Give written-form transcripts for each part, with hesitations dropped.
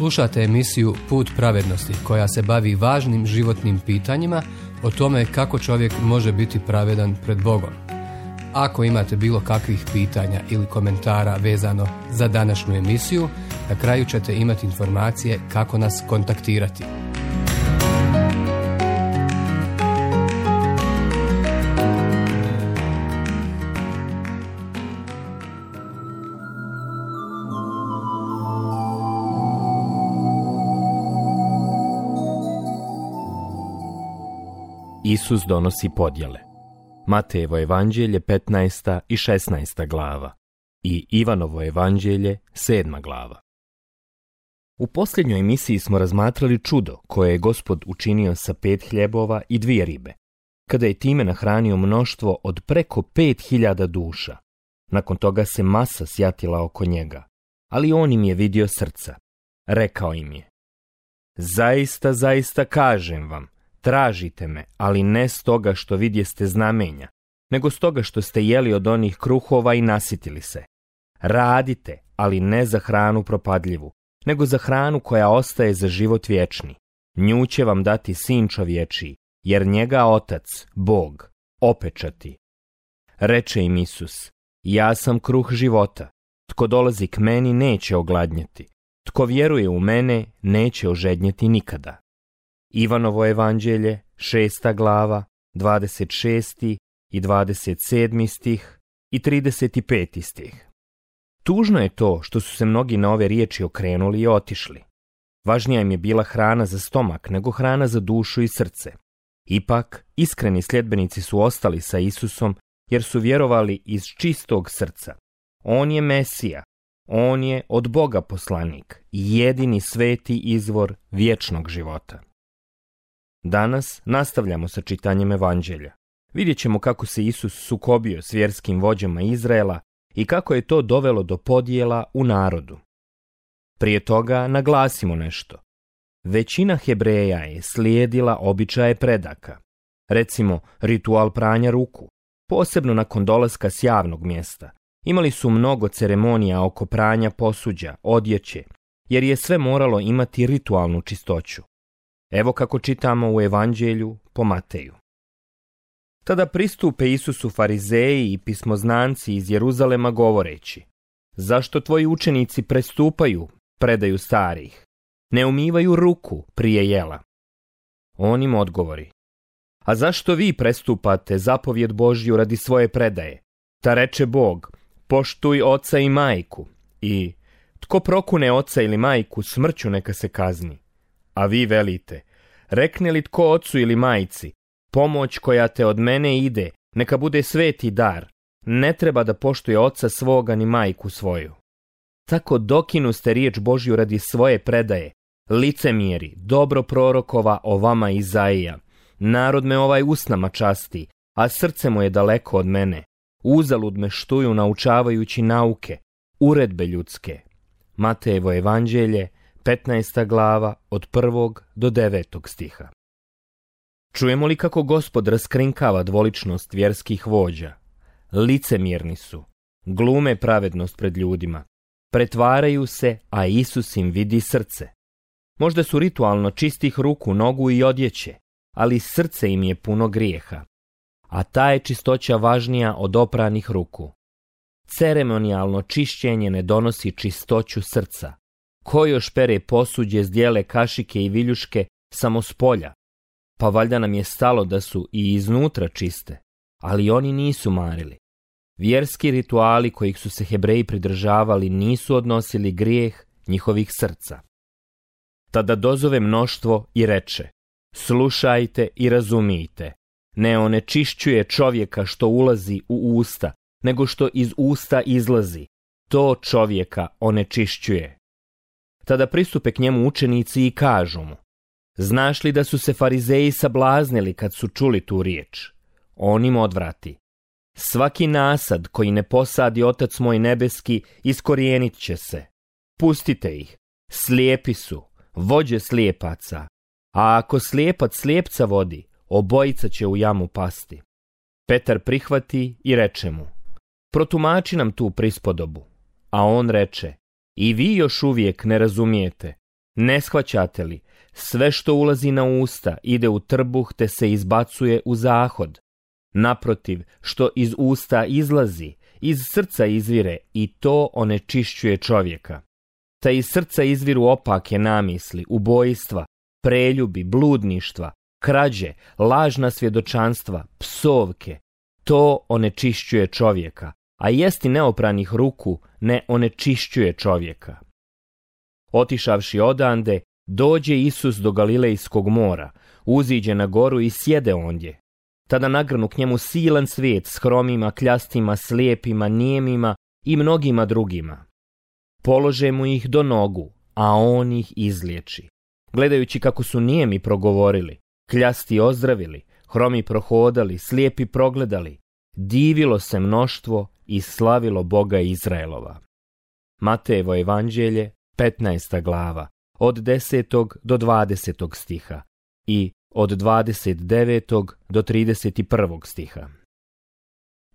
Slušate emisiju Put pravednosti koja se bavi važnim životnim pitanjima o tome kako čovjek može biti pravedan pred Bogom. Ako imate bilo kakvih pitanja ili komentara vezano za današnju emisiju, na kraju ćete imati informacije kako nas kontaktirati. Isus donosi podjele. Matejevo evanđelje 15. i 16. glava i Ivanovo evanđelje 7. glava. U posljednjoj emisiji smo razmatrali čudo koje je Gospod učinio sa 5 hljebova i 2 ribe, kada je time nahranio mnoštvo od preko 5.000 duša. Nakon toga se masa sjatila oko njega, ali on im je vidio srca. Rekao im je: zaista, zaista kažem vam, tražite me, ali ne stoga što vidjeste znamenja, nego stoga što ste jeli od onih kruhova i nasitili se. Radite, ali ne za hranu propadljivu, nego za hranu koja ostaje za život vječni. Nju će vam dati Sin čovječiji, jer njega Otac, Bog, opečati. Reče im Isus: ja sam kruh života. Tko dolazi k meni neće ogladnjeti. Tko vjeruje u mene neće ožednjeti nikada. Ivanovo evanđelje, 6. glava, 26. i 27. stih i 35. stih. Tužno je to što su se mnogi na ove riječi okrenuli i otišli. Važnija im je bila hrana za stomak nego hrana za dušu i srce. Ipak, iskreni sljedbenici su ostali sa Isusom jer su vjerovali iz čistog srca. On je Mesija, on je od Boga poslanik, jedini sveti izvor vječnog života. Danas nastavljamo sa čitanjem evanđelja. Vidjet ćemo kako se Isus sukobio s vjerskim vođama Izraela i kako je to dovelo do podjela u narodu. Prije toga naglasimo nešto. Većina Hebreja je slijedila običaje predaka. Recimo, ritual pranja ruku, posebno nakon dolaska s javnog mjesta. Imali su mnogo ceremonija oko pranja posuđa, odjeće, jer je sve moralo imati ritualnu čistoću. Evo kako čitamo u evanđelju po Mateju. Tada pristupe Isusu farizeji i pismoznanci iz Jeruzalema govoreći: zašto tvoji učenici prestupaju predaju starih? Ne umivaju ruku prije jela. On im odgovori: a zašto vi prestupate zapovjed Božju radi svoje predaje? Ta reče Bog: poštuj oca i majku, i tko prokune oca ili majku, smrću neka se kazni. A vi velite: rekne li tko ocu ili majci, pomoć koja te od mene ide, neka bude sveti dar, ne treba da poštuje oca svoga ni majku svoju. Tako dokinu ste riječ Božju radi svoje predaje, licemjeri, dobro prorokova o vama Izaija. Narod me ovaj usnama časti, a srce mu je daleko od mene. Uzalud me štuju naučavajući nauke, uredbe ljudske. Matejevo evanđelje, 15. glava, od 1. do 9. stiha. Čujemo li kako Gospod raskrinkava dvoličnost vjerskih vođa? Licemjerni su, glume pravednost pred ljudima, pretvaraju se, a Isus im vidi srce. Možda su ritualno čistih ruku, nogu i odjeće, ali srce im je puno grijeha. A ta je čistoća važnija od opranih ruku. Ceremonijalno čišćenje ne donosi čistoću srca. Ko još pere posuđe, zdjele, kašike i viljuške samo s polja? Pa valjda nam je stalo da su i iznutra čiste, ali oni nisu marili. Vjerski rituali kojih su se Hebreji pridržavali nisu odnosili grijeh njihovih srca. Tada dozove mnoštvo i reče: slušajte i razumijte, ne onečišćuje čovjeka što ulazi u usta, nego što iz usta izlazi, to čovjeka onečišćuje. Tada pristupe k njemu učenici i kažu mu: znaš li da su se farizeji sablaznili kad su čuli tu riječ? On im odvrati: svaki nasad koji ne posadi Otac moj nebeski iskorijenit će se. Pustite ih, slijepi su, vođe slijepaca, a ako slijepac slijepca vodi, obojica će u jamu pasti. Petar prihvati i reče mu: protumači nam tu prispodobu. A on reče: i vi još uvijek ne razumijete. Ne shvaćate li? Sve što ulazi na usta ide u trbuh te se izbacuje u zahod. Naprotiv, što iz usta izlazi, iz srca izvire i to onečišćuje čovjeka. Ta iz srca izviru opake namisli, ubojstva, preljubi, bludništva, krađe, lažna svjedočanstva, psovke. To onečišćuje čovjeka, a jesti neopranih ruku ne onečišćuje čovjeka. Otišavši odande, dođe Isus do Galilejskog mora, uziđe na goru i sjede ondje. Tada nagrnu k njemu silan svijet s hromima, kljastima, slijepima, nijemima i mnogima drugima. Polože mu ih do nogu, a on ih izliječi. Gledajući kako su nijemi progovorili, kljasti ozdravili, hromi prohodali, slijepi progledali, divilo se mnoštvo i slavilo Boga Izraelova. Matejevo evanđelje, 15. glava, od 10. do 20. stiha i od 29. do 31. stiha.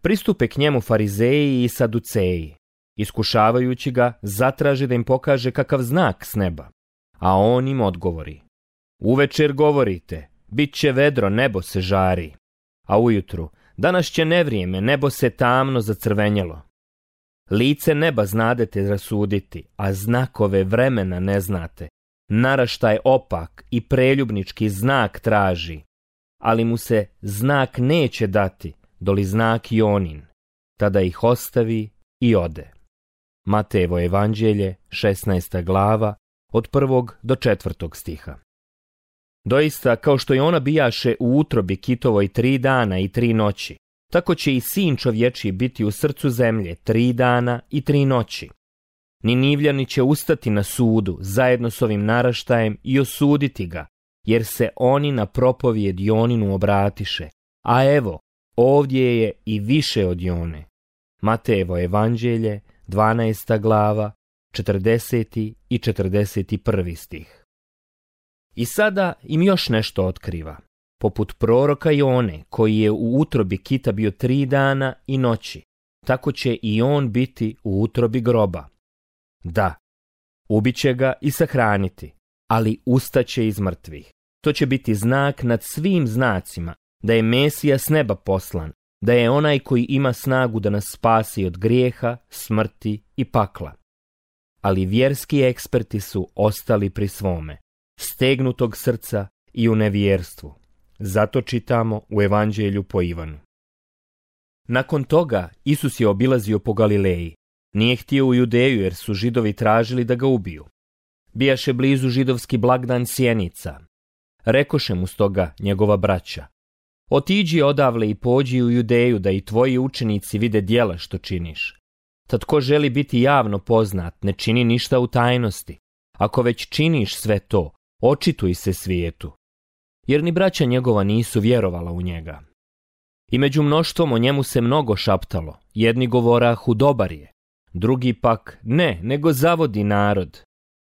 Pristupe k njemu farizeji i saduceji. Iskušavajući ga, zatraže da im pokaže kakav znak s neba. A on im odgovori: Uvečer govorite, bit će vedro, nebo se žari. A ujutru, danas će nevrijeme, nebo se tamno zacrvenjelo. Lice neba znadete rasuditi, a znakove vremena ne znate. Naraštaj opak i preljubnički znak traži, ali mu se znak neće dati, doli znak Jonin. Tada ih ostavi i ode. Matejevo evanđelje, 16. glava, od 1. do 4. stiha. Doista, kao što je ona bijaše u utrobi kitovoj 3 dana i 3 noći, tako će i sin čovječiji biti u srcu zemlje 3 dana i 3 noći. Ninivljani će ustati na sudu zajedno s ovim naraštajem i osuditi ga, jer se oni na propovijed Joninu obratiše, a evo, ovdje je i više od Jone. Matejevo evanđelje, 12. glava, 40. i 41. stih. I sada im još nešto otkriva. Poput proroka Jone, koji je u utrobi kita bio 3 dana i noći, tako će i on biti u utrobi groba. Da, ubiće ga i sahraniti, ali ustaće iz mrtvih. To će biti znak nad svim znacima, da je Mesija s neba poslan, da je onaj koji ima snagu da nas spasi od grijeha, smrti i pakla. Ali vjerski eksperti su ostali pri svome, stegnutog srca i u nevjerstvu. Zato čitamo u Evanđelju po Ivanu. Nakon toga Isus je obilazio po Galileji. Nije htio u Judeju jer su Židovi tražili da ga ubiju. Bijaše blizu židovski blagdan Sjenica. Rekoše mu stoga njegova braća: Otiđi odavle i pođi u Judeju da i tvoji učenici vide djela što činiš. Tad ko želi biti javno poznat, ne čini ništa u tajnosti. Ako već činiš sve to, očituj se svijetu. Jer ni braća njegova nisu vjerovala u njega. I među mnoštvom o njemu se mnogo šaptalo. Jedni govorahu dobar je, drugi pak ne, nego zavodi narod.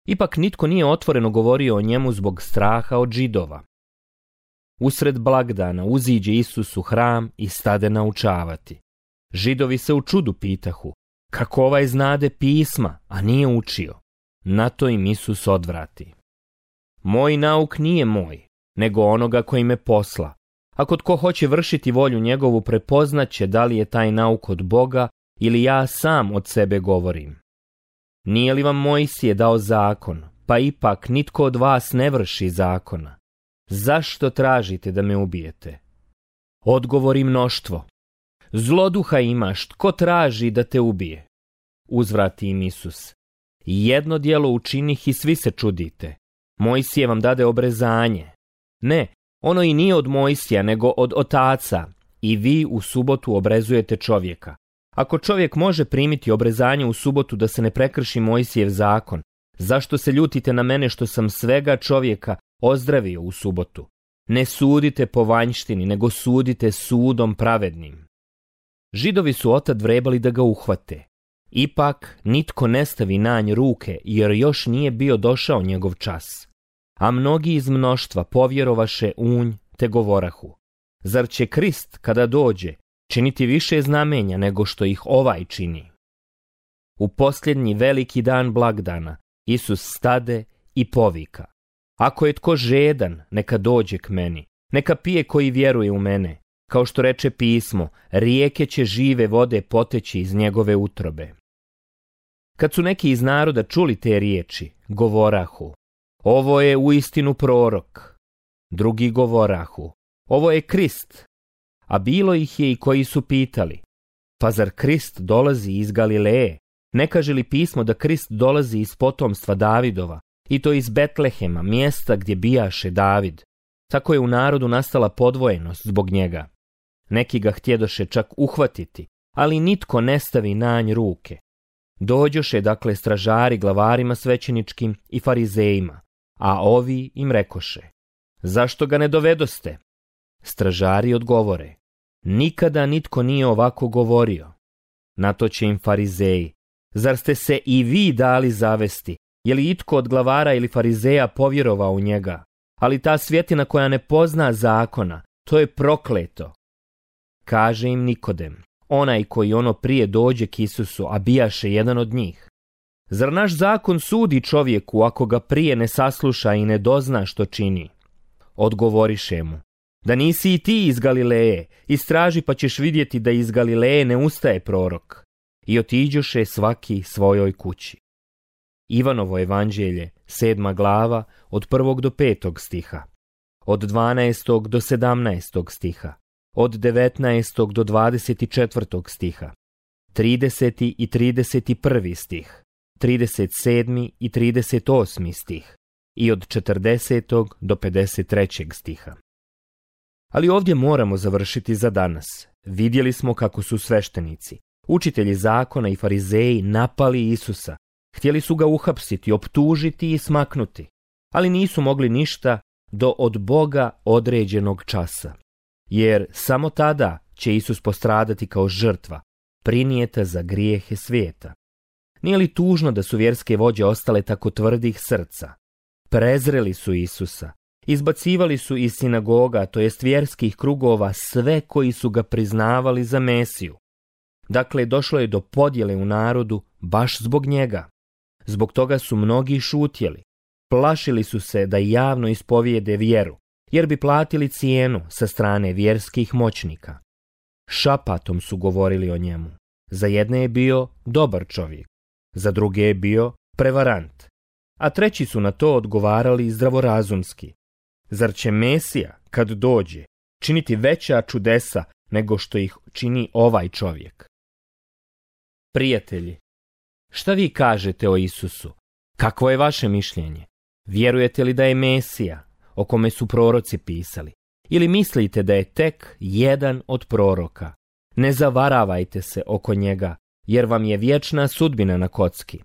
Ipak nitko nije otvoreno govorio o njemu zbog straha od Židova. Usred blagdana uziđe Isus u hram i stade naučavati. Židovi se u čudu pitahu: kako ovaj znade pisma, a nije učio? Na to im Isus odvrati: Moj nauk nije moj, nego onoga koji me posla. Ako tko hoće vršiti volju njegovu, prepoznaće da li je taj nauk od Boga ili ja sam od sebe govorim. Nije li vam Mojsije dao zakon, pa ipak nitko od vas ne vrši zakona? Zašto tražite da me ubijete? Odgovori mnoštvo: Zloduha imaš, tko traži da te ubije? Uzvrati im Isus: Jedno djelo učinih i svi se čudite. Mojsije vam dade obrezanje. Ne, ono i nije od Mojsija, nego od otaca. I vi u subotu obrezujete čovjeka. Ako čovjek može primiti obrezanje u subotu da se ne prekrši Mojsijev zakon, zašto se ljutite na mene što sam svega čovjeka ozdravio u subotu? Ne sudite po vanjštini, nego sudite sudom pravednim. Židovi su otad vrebali da ga uhvate. Ipak nitko ne stavi na nj ruke, jer još nije bio došao njegov čas. A mnogi iz mnoštva povjerovaše u nj, te govorahu: Zar će Krist, kada dođe, činiti više znamenja nego što ih ovaj čini? U posljednji veliki dan blagdana Isus stade i povika: ako je tko žedan, neka dođe k meni, neka pije koji vjeruje u mene. Kao što reče pismo, rijeke će žive vode poteći iz njegove utrobe. Kad su neki iz naroda čuli te riječi, govorahu: ovo je uistinu prorok. Drugi govorahu: ovo je Krist. A bilo ih je i koji su pitali: pa zar Krist dolazi iz Galileje? Ne kaže li pismo da Krist dolazi iz potomstva Davidova, i to iz Betlehema, mjesta gdje bijaše David? Tako je u narodu nastala podvojenost zbog njega. Neki ga htjedoše čak uhvatiti, ali nitko ne stavi na nj ruke. Dođoše dakle stražari glavarima svećeničkim i farizejima, a ovi im rekoše: zašto ga ne dovedoste? Stražari odgovore: nikada nitko nije ovako govorio. Na to će im farizeji: zar ste se i vi dali zavesti? Je li itko od glavara ili farizeja povjerovao u njega? Ali ta svjetina koja ne pozna zakona, to je prokleto. Kaže im Nikodem, onaj koji ono prije dođe k Isusu, a bijaše jedan od njih: zar naš zakon sudi čovjeku ako ga prije ne sasluša i ne dozna što čini? Odgovoriše mu: da nisi i ti iz Galileje, istraži pa ćeš vidjeti da iz Galileje ne ustaje prorok. I otiđoše svaki svojoj kući. Ivanovo evanđelje, 7. glava, od 1. do 5. stiha, od 12. do 17. stiha, od 19. do 24. stiha, 30. i 31. stih, 37. i 38. stih i od 40. do 53. stiha. Ali ovdje moramo završiti za danas. Vidjeli smo kako su sveštenici, učitelji zakona i farizeji napali Isusa. Htjeli su ga uhapsiti, optužiti i smaknuti, ali nisu mogli ništa do od Boga određenog časa. Jer samo tada će Isus postradati kao žrtva, prinijeta za grijehe svijeta. Nije li tužno da su vjerske vođe ostale tako tvrdih srca? Prezreli su Isusa, izbacivali su iz sinagoga, to jest vjerskih krugova, sve koji su ga priznavali za Mesiju. Dakle, došlo je do podjele u narodu baš zbog njega. Zbog toga su mnogi šutjeli. Plašili su se da javno ispovijede vjeru, jer bi platili cijenu sa strane vjerskih moćnika. Šapatom su govorili o njemu. Za jedne je bio dobar čovjek, za druge je bio prevarant, a treći su na to odgovarali zdravorazumski. Zar će Mesija, kad dođe, činiti veća čudesa nego što ih čini ovaj čovjek? Prijatelji, šta vi kažete o Isusu? Kakvo je vaše mišljenje? Vjerujete li da je Mesija, o kome su proroci pisali? Ili mislite da je tek jedan od proroka? Ne zavaravajte se oko njega, jer vam je vječna sudbina na kocki.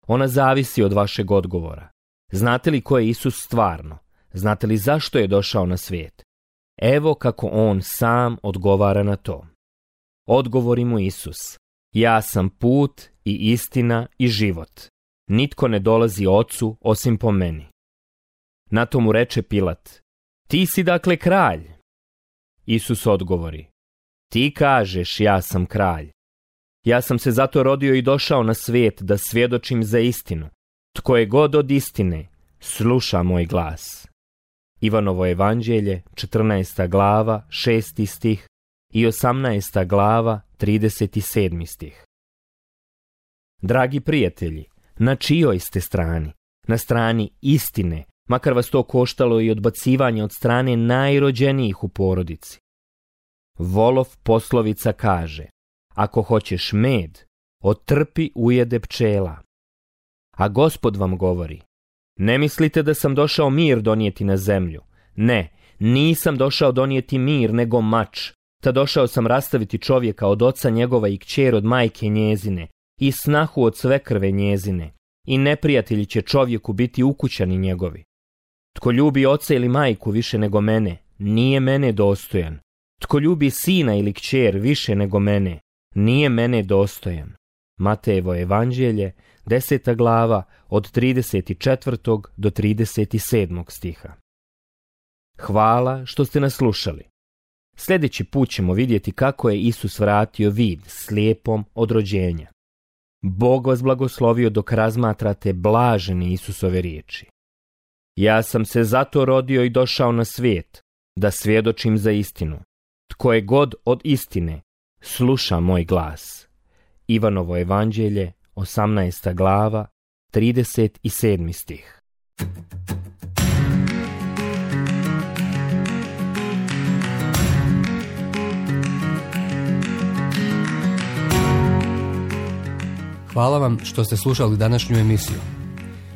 Ona zavisi od vašeg odgovora. Znate li ko je Isus stvarno? Znate li zašto je došao na svijet? Evo kako on sam odgovara na to. Odgovori mu Isus: ja sam put i istina i život. Nitko ne dolazi Ocu osim po meni. Na to mu reče Pilat: ti si dakle kralj? Isus odgovori: ti kažeš ja sam kralj. Ja sam se zato rodio i došao na svijet da svjedočim za istinu. Tko je god od istine, sluša moj glas. Ivanovo evanđelje, 14. glava, 6. stih i 18. glava, 37. stih. Dragi prijatelji, na čijoj ste strani? Na strani istine, makar vas to koštalo i odbacivanje od strane najrođenijih u porodici. Volov poslovica kaže: ako hoćeš med, otrpi ujede pčela. A Gospod vam govori: ne mislite da sam došao mir donijeti na zemlju. Ne, nisam došao donijeti mir, nego mač. Ta došao sam rastaviti čovjeka od oca njegova i kćer od majke njezine, i snahu od svekrve njezine, i neprijatelji će čovjeku biti ukućani njegovi. Tko ljubi oca ili majku više nego mene, nije mene dostojan. Tko ljubi sina ili kćer više nego mene, nije mene dostojan. Matejevo evanđelje, 10. glava, od 34. do 37. stiha. Hvala što ste nas slušali. Sljedeći put ćemo vidjeti kako je Isus vratio vid slijepom od rođenja. Bog vas blagoslovio dok razmatrate blažene Isusove riječi. Ja sam se zato rodio i došao na svijet, da svjedočim za istinu. Tko je god od istine, sluša moj glas. Ivanovo evanđelje, 18. glava, 37. stih. Hvala vam što ste slušali današnju emisiju.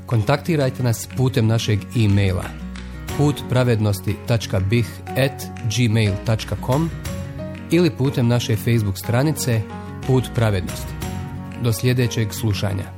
Kontaktirajte nas putem našeg e-maila putpravednosti.bih@gmail.com ili putem naše Facebook stranice Put pravednosti. Do sljedećeg slušanja.